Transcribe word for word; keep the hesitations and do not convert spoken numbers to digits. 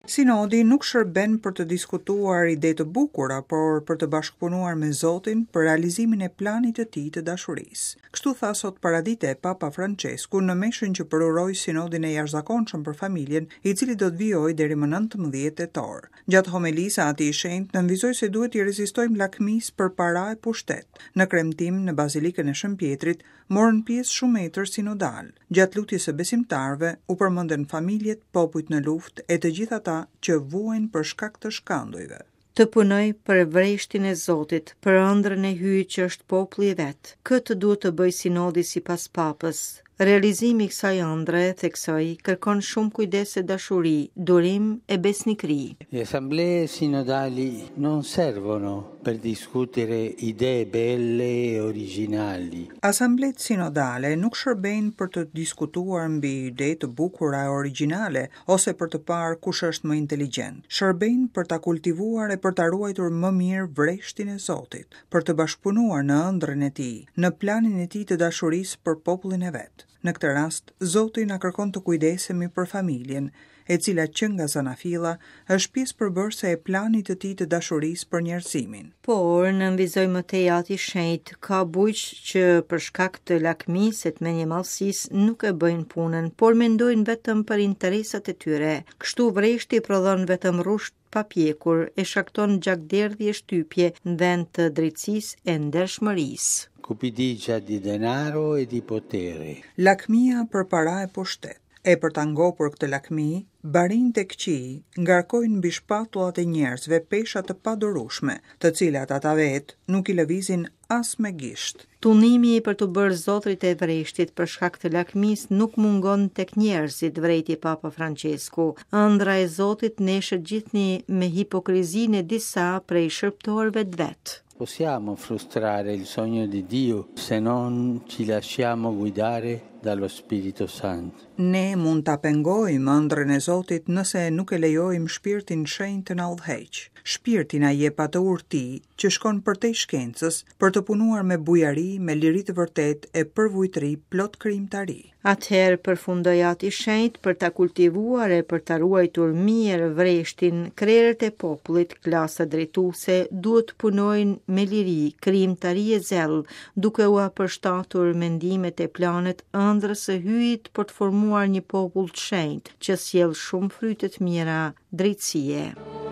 Sinodi nuk shërben për të diskutuar ide të bukura, por për të bashkëpunuar me Zotin për realizimin e planit të tij të dashurisë. Kështu tha sot paradite Papa Francesku në meshën që përuroi sinodin e jashtëzakonshëm për familjen, i cili do të vijojë deri më nëntëmbëdhjetë tetor. Gjatë homelisë, Ati i Shenjtë nënvizoi se duhet t'i rezistojmë lakmisë për para e pushtet. Në kremtim në Bazilikën e Shën Pjetrit morën pjesë shumë etër sinodal. Gjatë lutjes së besimtarëve u përmendën familjet, popujt në luftë e të gjithë ata që vuajnë për shkak të shkandujve. Të punoj për vreshtin e Zotit, për ëndrrën e Hyjit që është populli i vet. Këtë duhet të bëj sinodi sipas Papës. Realizimi i kësaj ëndrre, theksoi, kërkon shumë kujdes e dashuri, durim e besnikëri. Le assemblee sinodali non servono per discutere idee belle e originali. Asambletë sinodale nuk shërbejnë për të diskutuar mbi ide të bukura e origjinale ose për të parë kush është më inteligjent. Shërbejnë për ta kultivuar e për ta ruajtur më mirë vreshtin e Zotit, për të bashkëpunuar në ëndrrën e tij, në planin e tij të dashurisë për popullin e vet. Në këtë rast, Zoti na kërkon të kujdesemi për familjen, e cila që nga zanafilla është pjesë përbërëse e planit të tij të dashurisë për njerëzimin. Por, nënvizoi më tej Ati i Shenjtë, ka bujq që për shkak të lakmisë e të mendjemadhësisë nuk e bëjnë punën, por mendojnë vetëm për interesat e tyre. Kështu vreshti prodhon vetëm rrusht pa pjekur e shkakton gjakderdhje shtypje në vend të drejtësisë e ndershmërisë. Cupidigia di denaro e di potere. Lakmia për para e pushtet. E për ta ngopur këtë lakmi, barinjtë e këqij ngarkojnë mbi shpatullat e njerëzve pesha të padurueshme, të cilat ata vetë nuk i lëvizin as me gisht. Tunimi për të bërë zotrit e vreshtit për shkak të lakmisë nuk mungon tek njerëzit, vrejti Papa Francesku. Ëndra e Zotit neshet gjithnjë me hipokrizinë e disa prej shërbëtorëve të vet. Possiamo frustrare il sogno di Dio se non ci lasciamo guidare dallo Spirito Santo. Ne mund ta pengojmë ëndrrën e Zotit nëse nuk e lejojmë Shpirtin Shenjt të na udhëheq. Shpirti na jep atë urti që shkon përtej shkencës për të punuar me bujari, me liri të vërtetë e përvujtëri plot krijimtari. Atëherë përfundoi Ati i Shenjtë për ta kultivuar e për ta ruajtur mirë vreshtin, krerët e popullit, klasa drejtuese duhet të punojnë me liri, krijimtari e zell, duke ua përshtatur mendimet e planet ëndrrës së Hyjit për të formuar një popull të shenjtë që sjell shumë fryte të mira drejtësie.